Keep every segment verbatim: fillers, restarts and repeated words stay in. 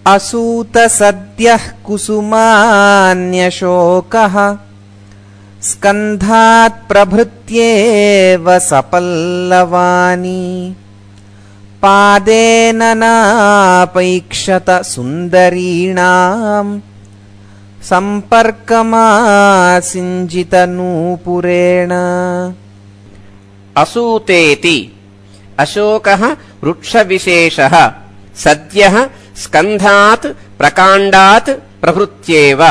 असूत सद्यः कुसुमान्यशोकः स्कन्धात् प्रभृत्येव सपल्लवानि पादेन नापैक्षत सुन्दरीणाम् सम्पर्कमासिञ्जितनूपुरेण। असूतेति अशोकः वृक्षविशेषः सद्यः स्कन्धात् प्रकाण्डात् प्रभृत्येव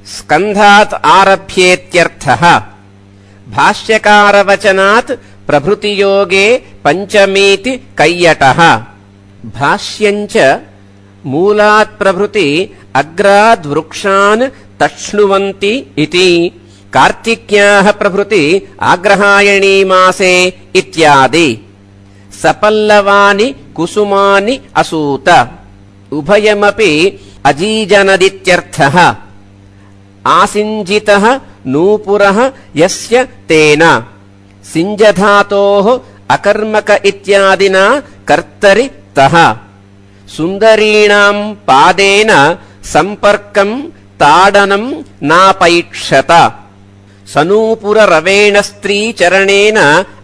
स्कन्धात् आरभ्येत्यर्थः। भाष्यकारवचनात् प्रभृतियोगे पञ्चमीति कैयटः। भाष्यञ्च मूलात् प्रभृति अग्राद् वृक्षान् तच्छृण्वन्ति इति कार्तिक्याः प्रभृति आग्रहायणी मासे इत्यादि। सपल्लवानि कुसुमानि असूत उभयमपि अजीजनदित्यर्थः। आसिञ्जितः नूपुरः यस्य तेन सिञ्जधातोः अकर्मक इत्यादिना कर्तरि तः। सुन्दरीणाम् पादेन सम्पर्कम् ताडनम् नापैक्षत। सनूपुररवेण स्त्रीचरणेन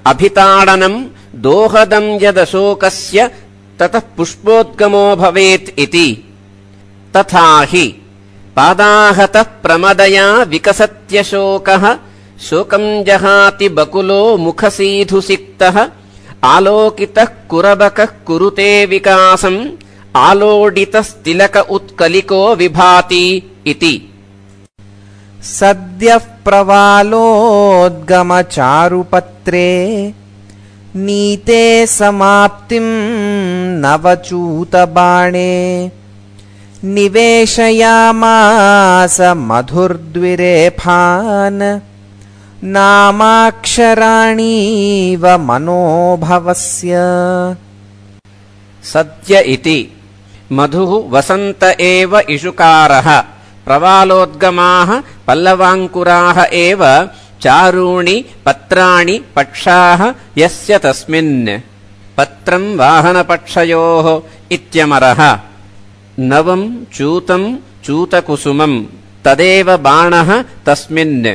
अभिताडनम् दोहदम् यदशोकस्य ततः पुष्पोद्गमो भवेत् इति। तथा हि पादाहतः प्रमदया विकसत्यशोकः शोकम् जहाति बकुलो मुखसीधुसिक्तः आलोकितः कुरबकः कुरुते विकासम् आलोडितस्तिलक उत्कलिको विभाति इति। सद्यः प्रवालोद्गमचारुपत्रे नीते समाप्तिम् नवचूतबाणे निवेशयामास मधुर्द्विरेफान् नामाक्षराणीव मनोभवस्य। सद्य इति मधुः वसन्त एव इषुकारः प्रवालोद्गमाः पल्लवाङ्कुराः एव चारूणि पत्राणि पक्षाः यस्य तस्मिन् पत्रम् वाहनपक्षयोः इत्यमरः। नवम् चूतम् चूतकुसुमम् तदेव बाणः तस्मिन्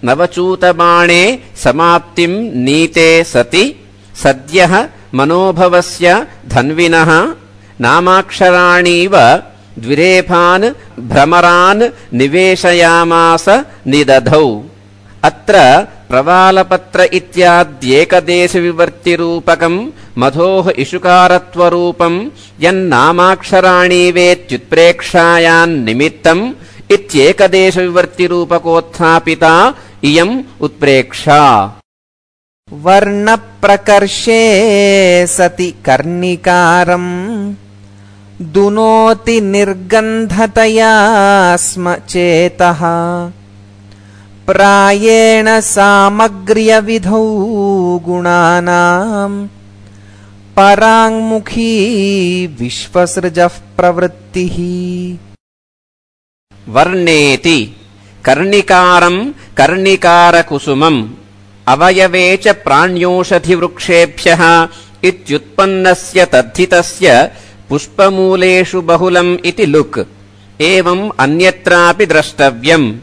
नवचूतबाणे समाप्तिम् नीते सति सद्यः मनोभवस्य धन्विनः नामाक्षराणीव द्विरेफान् भ्रमरान् निवेशयामास निदधौ। अत्र प्रवालपत्र इत्याद्येकदेशविवर्तिरूपकम् मधोः इषुकारत्वरूपम् यन्नामाक्षराणि वेत्युत्प्रेक्षायान्निमित्तम् इत्येकदेशविवर्तिरूपकोत्थापिता इयम् उत्प्रेक्षा। वर्णप्रकर्षे सति कर्णिकारम् दुनोति निर्गन्धतया स्म चेतः प्रायेण सामग्र्यविधौ गुणानाम् पराङ्मुखी विश्वसृजः प्रवृत्तिः। वर्णेति कर्णिकारम् कर्णिकारकुसुमम् अवयवे च प्राण्योषधिवृक्षेभ्यः इत्युत्पन्नस्य तद्धितस्य पुष्पमूलेषु बहुलम् इति लुक्। एवम् अन्यत्रापि द्रष्टव्यम्।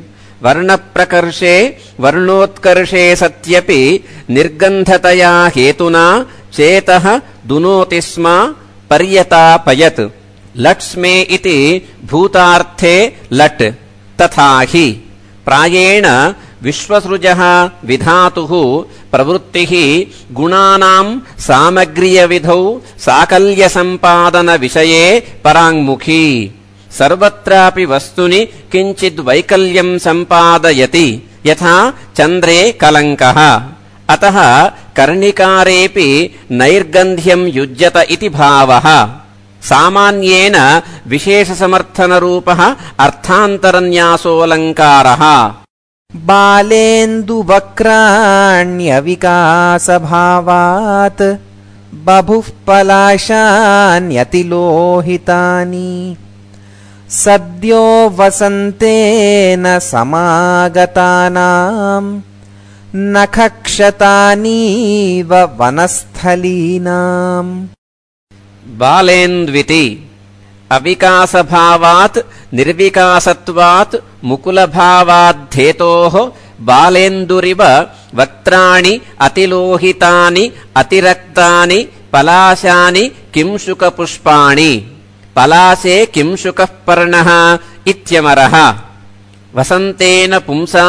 वर्णप्रकर्षे वर्णोत्कर्षे सत्यपि निर्गन्धतया हेतुना चेतः दुनोति स्म पर्यतापयत्। लट्स्मे इति भूतार्थे लट्। तथा हि प्रायेण विश्वसृजः विधातुः प्रवृत्तिः गुणानाम् सामग्र्यविधौ साकल्यसम्पादनविषये पराङ्मुखी। सर्वत्रापि वस्तुनि किञ्चिद्वैकल्यम् सम्पादयति यथा चन्द्रे कलङ्कः। अतः कर्णिकारेऽपि नैर्गन्ध्यम् युज्यत इति भावः। सामान्येन विशेषसमर्थनरूपः अर्थान्तरन्यासोऽलङ्कारः। बालेन्दुवक्राण्यविकासभावात् बभुः पलाशान्यतिलोहितानि सद्यो वसन्तेन समागतानाम् नखक्षतानीव वनस्थलीनाम्। बालेन्द्विति अविकासभावात् निर्विकासत्वात् मुकुलभावाद्धेतोः बालेन्दुरिव वक्त्राणि अतिलोहितानि अतिरक्तानि पलाशानि किंशुकपुष्पाणि पलाशे किंशुकः पर्णः इत्यमरः वसन्तेन पुंसा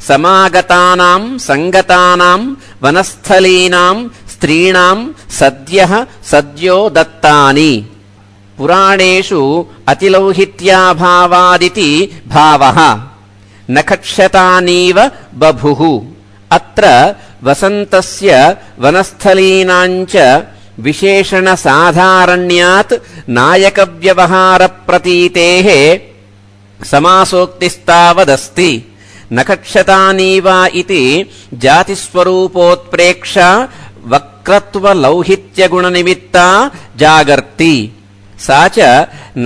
समागतानां संगतानां वनस्थलीनां स्त्रीणां सद्यः सद्यो दत्तानि पुराणेषु अतिलौहित्याभावादिति भावः नखक्षतानीव बभुः अत्र वसन्तस्य वनस्थलीनाञ्च विशेषणसाधारण्यात् नायकव्यवहारप्रतीतेः समासोक्तिस्तावदस्ति नखक्षतानीव इति जातिस्वरूपोत्प्रेक्षा वक्रत्वलौहित्यगुणनिमित्ता जागर्ति सा च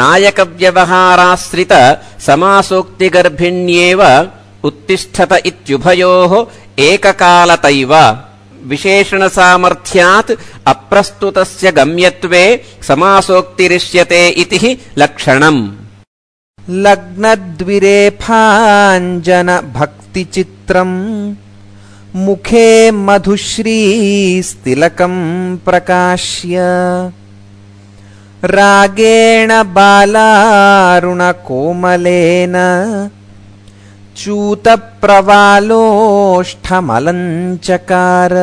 नायकव्यवहाराश्रित समासोक्तिगर्भिण्येव उत्तिष्ठत इत्युभयोः एककालतैव विशेषणसामर्थ्यात् अप्रस्तुतस्य गम्यत्वे समासोक्तिरिष्यते इति लक्षणम् लग्नद्विरेफाञ्जनभक्तिचित्रम् मुखे मधुश्रीस्तिलकम् प्रकाश्य रागेण बालारुणकोमलेन चूतप्रवालोष्ठमलञ्चकार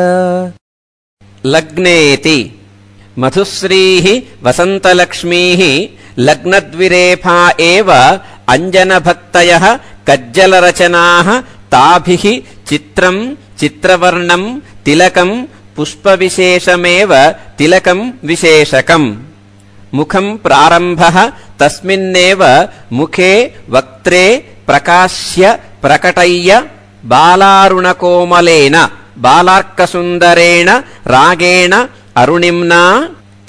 लग्नेति मधुश्रीः वसन्तलक्ष्मीः लग्नद्विरेफा एव अञ्जनभक्तयः कज्जलरचनाः ताभिः चित्रम् चित्रवर्णम् तिलकम् पुष्पविशेषमेव तिलकम् विशेषकम् मुखम् प्रारम्भः तस्मिन्नेव मुखे वक्त्रे प्रकाश्य प्रकटय्य बालारुणकोमलेन बालार्कसुन्दरेण रागेण अरुणिम्ना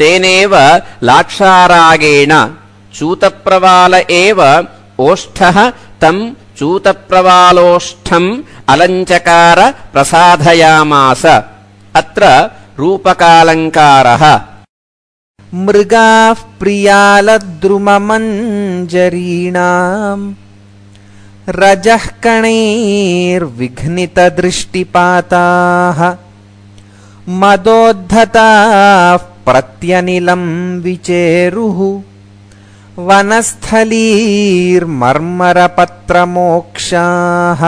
तेनेव लाक्षारागेण चूतप्रवाल एव ओष्ठः तम् चूतप्रवालोष्ठम् अलञ्चकार प्रसाधयामास अत्र रूपकालङ्कारः मृगाः प्रियालद्रुममञ्जरीणाम् रजः कणैर्विघ्नितदृष्टिपाताः मदोद्धताः प्रत्यनिलम् विचेरुः वनस्थलीर्मर्मरपत्रमोक्षाः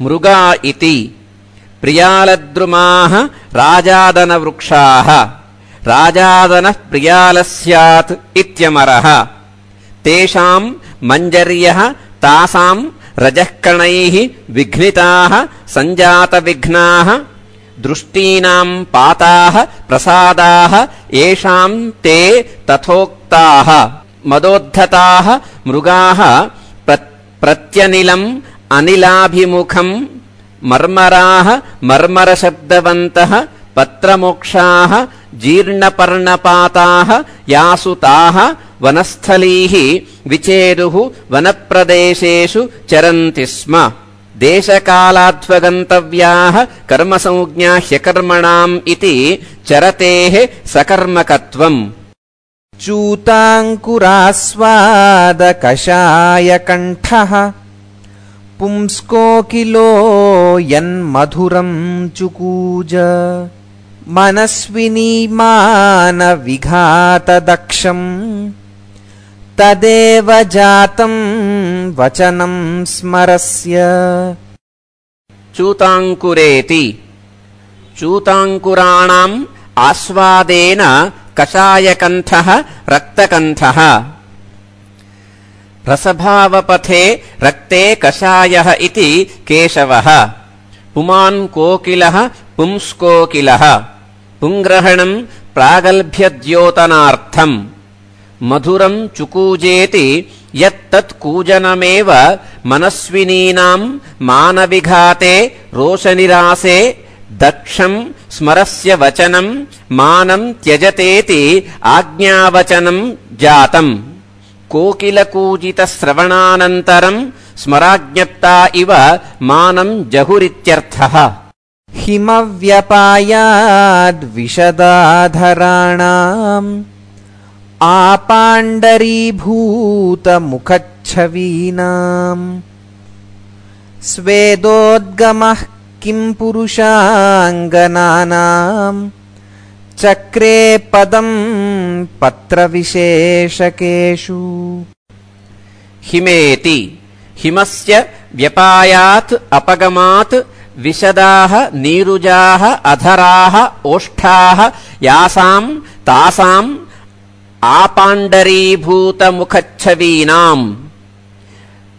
मृगा इति प्रियालद्रुमाः राजादनवृक्षाः राजादनः प्रियालः स्यात् इत्यमरः तेषाम् मञ्जर्यः तासाम् रजःकणैः विघ्निताः सञ्जातविघ्नाः दृष्टीनाम् पाताः प्रसादाः येषाम् ते तथोक्ताः मदोद्धताः मृगाः प्रत्यनिलम् अनिलाभिमुखम् मर्मराः मर्मरशब्दवन्तः पत्रमोक्षाः जीर्णपर्णपाताः यासु ताः वनस्थलीः विचेरुः वनप्रदेशेषु चरन्ति स्म देशकालाध्वगन्तव्याः कर्मसंज्ञा ह्यकर्मणाम् इति चरतेः सकर्मकत्वम् चूताङ्कुरास्वादकषायकण्ठः पुंस्कोकिलो यन्मधुरम् चुकूज मनस्विनीमानविघातदक्षम् तदेव जातम् वचनम् स्मरस्य चूताङ्कुरेति चूताङ्कुराणाम् आस्वादेन कषायकण्ठः रक्तकण्ठः रसभावपथे रक्ते कषायः इति केशवः पुमान् कोकिलः पुंस्कोकिलः पुङ्ग्रहणम् प्रागल्भ्यद्योतनार्थम् मधुरम् चुकूजेति यत्तत् कूजनमेव मनस्विनीनाम् मानविघाते रोषनिरासे दक्षम् स्मरस्य वचनम् मानम् त्यजतेति आज्ञावचनम् जातम् कोकिलकूजितश्रवणानन्तरम् स्मराज्ञप्ता इव मानम् जहुरित्यर्थः हिमव्यपायाद्विशदाधराणाम् आपाण्डरीभूतमुखच्छवीनाम् स्वेदोद्गमः किं पुरुषाङ्गनानाम् चक्रे पदं पत्रविशेषकेषु। हिमेति हिमस्य व्यपायात् अपगमात् विशदाः नीरुजाः अधराः ओष्ठाः यासाम् तासाम् आपाण्डरीभूतमुखच्छवीनाम्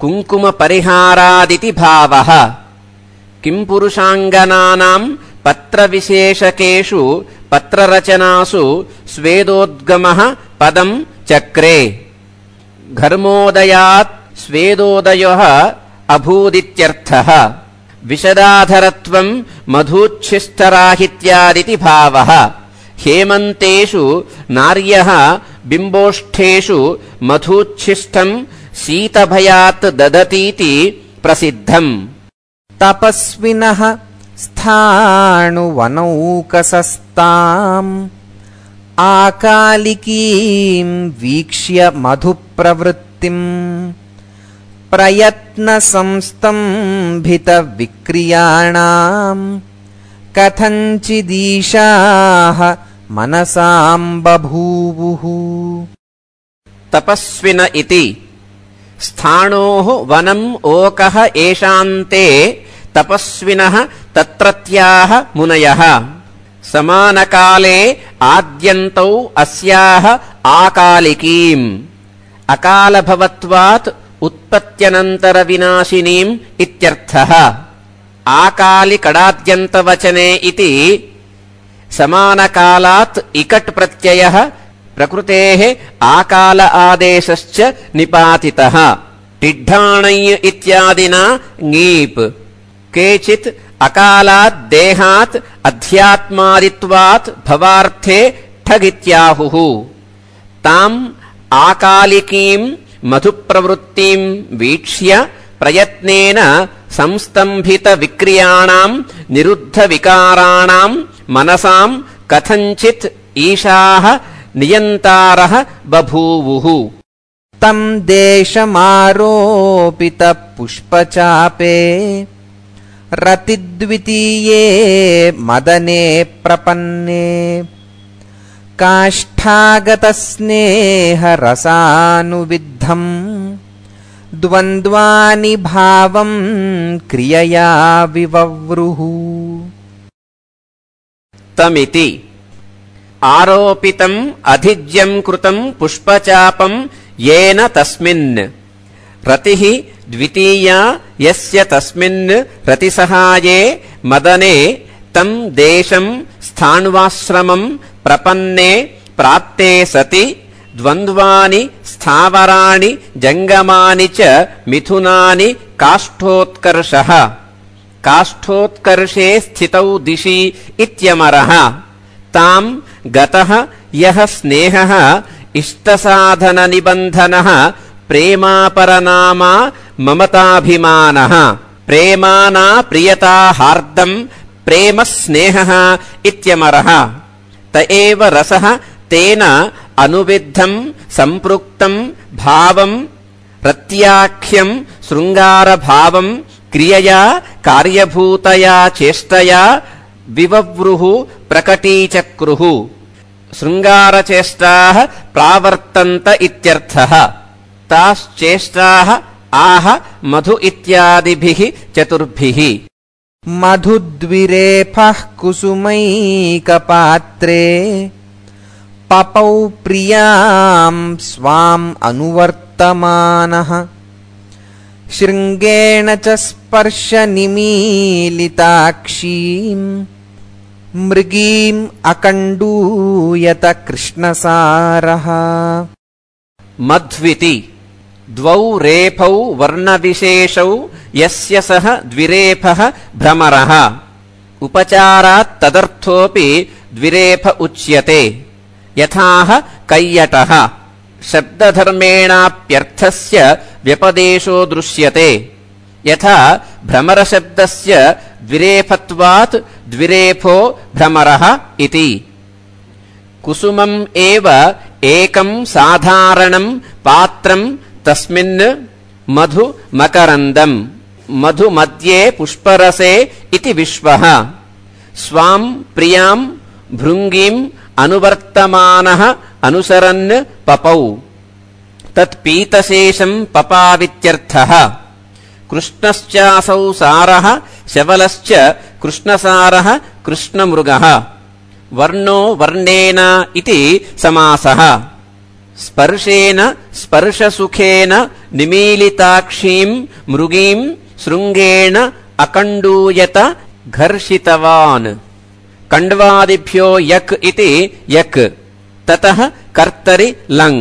कुङ्कुमपरिहारादिति भावः। किं पुरुषाङ्गनानाम् पत्रविशेषकेषु पत्ररचनासु स्वेदोद्गमः पदं चक्रे। घर्मोदयात् स्वेदोदयः अभूदित्यर्थः। विशदाधरत्वं मधुच्छिष्टराहित्यादिति भावः। हेमन्तेषु नार्यः बिम्बोष्ठेषु मधुच्छिष्टं शीतभयात् ददतीति प्रसिद्धम्। तपस्विनः स्थाणुवनौकसस्ताम् आकालिकीं वीक्ष्य मधुप्रवृत्तिम् प्रयत्नसंस्तम्भितविक्रियाणाम् कथञ्चिदीशाः मनसां बभूवुः। तपस्विन इति स्थाणोः वनम् ओकः एषान्ते तपस्विनः तत्रत्याः मुनयः। समानकाले आद्यन्तौ अस्याः आकालिकीम् अकालभवत्वात् उत्पत्त्यनन्तरविनाशिनीम् इत्यर्थः। आकालिकडाद्यन्तवचने इति समानकालात् इकट् प्रत्ययः प्रकृतेः आकाल आदेशश्च निपातितः। टिड्ढाणय् इत्यादिना ङीप्। केचित् अकालात् देहात् अध्यात्मादित्वात् भवार्थे ठगित्याहुः। ताम् आकालिकीम् मधुप्रवृत्तिम् वीक्ष्य प्रयत्नेन संस्तम्भितविक्रियाणाम् निरुद्धविकाराणाम् मनसाम् कथञ्चित् ईशाः नियन्तारः बभूवुः। तं देशमारोपितपुष्पचापे रतिद्वितीये मदने प्रपन्ने काष्ठागतस्नेहरसानुविद्धम् द्वन्द्वानि भावं क्रियया विवव्रुः। तमिति आरोपितम् अधिज्यम् कृतम् पुष्पचापम् येन तस्मिन् रतिः द्वितीया यस्य तस्मिन् रतिसहाये मदने तम् देशम् स्थाण्वाश्रमम् प्रपन्ने प्राप्ते सति द्वन्द्वानि स्थावराणि जङ्गमानि च मिथुनानि काष्ठोत्कर्षः। काष्ठोत्कर्षे स्थितौ दिशि इत्यमरः। ताम् गतः यः स्नेहः इष्टसाधननिबन्धनः प्रेमापरनामा ममताभिमानः। प्रेमाना प्रियता हार्दम् प्रेम स्नेहः इत्यमरः। त एव रसः तेन अनुविद्धम् सम्पृक्तम् भावम् रत्याख्यम् शृङ्गारभावम् क्रियया कार्यभूतया चेष्टया विवव्रुः प्रकटीचक्रुः। शृङ्गारचेष्टाः प्रावर्तन्त इत्यर्थः। ताश्चेष्टाः आह मधु इत्यादिभिः चतुर्भिः। मधुद्विरेफः कुसुमैकपात्रे पपौ प्रियां स्वाम् अनुवर्तमानः शृङ्गेण च स्पर्शनिमीलिताक्षीम् मृगीम् अकण्डूयत कृष्णसारः। मध्विति द्वौ रेफौ वर्णविशेषौ यस्य सः द्विरेफः भ्रमरः। उपचारात् तदर्थोऽपि द्विरेफ उच्यते। यथाह कैयटः शब्दधर्मेणाप्यर्थस्य व्यपदेशो दृश्यते। यथा भ्रमरशब्दस्य द्विरेफत्वात् द्विरेफो भ्रमरः इति। कुसुमम् एव एकं साधारणं पात्रं तस्मिन् मधु मकरन्दं मधु मध्ये पुष्परसे इति विश्वः स्वां प्रियां भृङ्गीम् अनुवर्तमानः अनुसरन् पपौ तत्पीतशेषं पपावित्यर्थः कृष्णश्चासौ सारः शवलश्च कृष्णसारः कृष्णमृगः वर्णो वर्णेन इति समासः स्पर्शेन स्पर्शसुखेन निमीलिताक्षीं मृगीं शृङ्गेण अकण्डूयत घर्षितवान् कण्ड्वादिभ्यो यक् इति यक् ततः कर्तरि लङ्